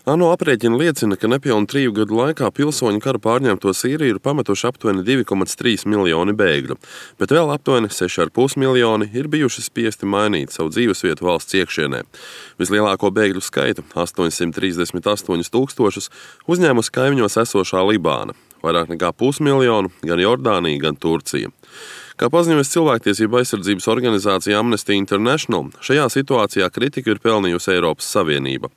ANO aprēķini liecina, ka nepilnu 3 gadu laikā pilsoņu kara pārņemto Sīriju ir pametuši aptuveni 2,3 miljoni bēgļu, bet vēl aptuveni 6,5 miljoni ir bijuši spiesti mainīt savu dzīvesvietu valsts iekšienē. Vislielāko bēgļu skaitu, 838 tūkstošus, uzņēmusi kaimiņos esošā Libāna, vairāk nekā 500 miljonu gan Jordānija, gan Turcija. Kā paziņojas cilvēktiesību aizsardzības organizācija Amnesty International, šajā situācijā kritiku ir pelnījusi Eiropas Savienība.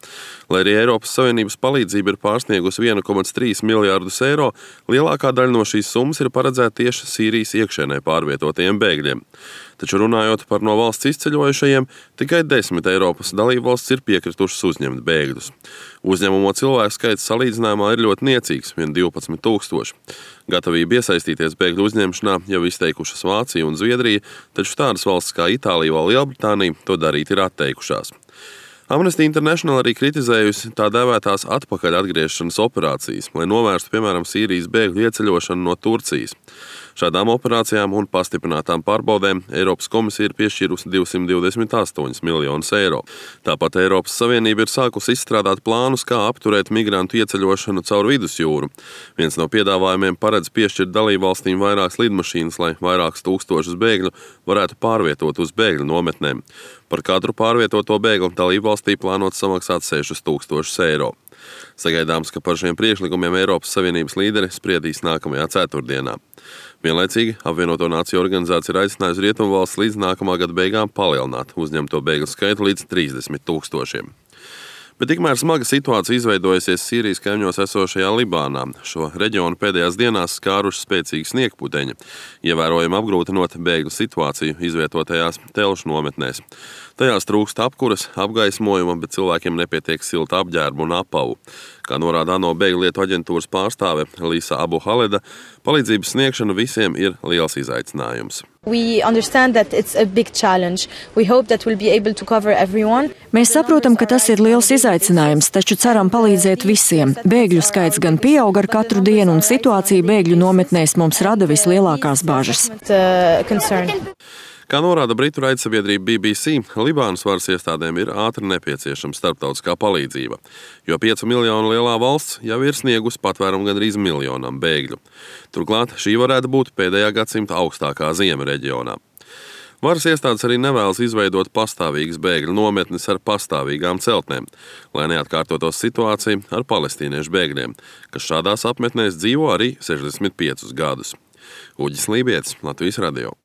Lai arī Eiropas Savienības palīdzība ir pārsniegusi 1,3 miljārdus eiro, lielākā daļa no šīs summas ir paredzēta tieši Sīrijas iekšēnē pārvietotajiem bēgļiem. Taču runājot par no valsts izceļojušajiem, tikai 10 Eiropas dalībvalstis ir piekritušas uzņemt bēgļus. Uzņemamo cilvēku skaits salīdzinājumā ir ļoti niecīgs, vien 12 tūkstoši. Gatavību iesaistīties bēgļu uzņemšanā jau izteikušas Vācija un Zviedrija, taču tādas valstis kā Itālija vai Lielbritānija to darīt ir atteikušās. Amnesty International arī kritizējusi tā dēvētās atpakaļ atgriešanas operācijas, lai novērstu, piemēram, Sīrijas bēgļu ieceļošanu no Turcijas. Šādām operācijām un pastiprinātām pārbaudēm Eiropas komisija ir piešķīrusi 228 miljonus eiro. Tāpat Eiropas Savienība ir sākusi izstrādāt plānus, kā apturēt migrantu ieceļošanu caur vidusjūru. Viens no piedāvājumiem paredz piešķirt dalībvalstīm vairākas lidmašīnas, lai vairākus tūkstošus bēgļu varētu pārvietot uz bēgļu nometnēm. Par katru pārvietoto bēgli dalībvalstī plānot samaksāt 6,000 eiro. Sagaidāms, ka par šiem priekšlikumiem Eiropas Savienības līderi spriedīs nākamajā ceturtdienā. Vienlaicīgi apvienoto nāciju organizācija ir aicinājusi Rietumvalstis līdz nākamā gada beigām palielināt uzņemto bēgļu skaitu līdz 30 tūkstošiem. Bet tikmēr smaga situācija izveidojusies Sīrijas kaimiņos esošajā Libānā. Šo reģionu pēdējās dienās skāruši spēcīgi sniegputeņi, ievērojami apgrūtinot bēgļu situāciju izvietotajās telšu nometnēs. Tajās trūkst apkuras, apgaismojuma, bet cilvēkiem nepietiek silta apģērba un apavu. Kā norāda ANO bēgļu lietu aģentūras pārstāve Lisa Abu Haleda, palīdzības sniegšana visiem ir liels izaicinājums. Mēs saprotam, ka tas ir liels izaicinājums, taču ceram palīdzēt visiem. Bēgļu skaits gan pieaug ar katru dienu, un situācija bēgļu nometnēs mums rada vislielākās bažas. Kā norāda britu raidsabiedrība BBC, Libānas varas iestādēm ir ātri nepieciešama starptautiskā palīdzība, jo 5 miljonu lielā valsts jau ir sniegusi patvērumu gandrīz miljonam bēgļu. Turklāt šī varētu būt pēdējā gadsimta augstākā ziema reģionā. Varas iestādes arī nevēlas izveidot pastāvīgas bēgļu nometnes ar pastāvīgām celtnēm, lai neatkārtotos situācija ar palestīniešu bēgļiem, kas šādās apmetnēs dzīvo arī 65 gadus. Uģis Lībietis, Latvijas radio.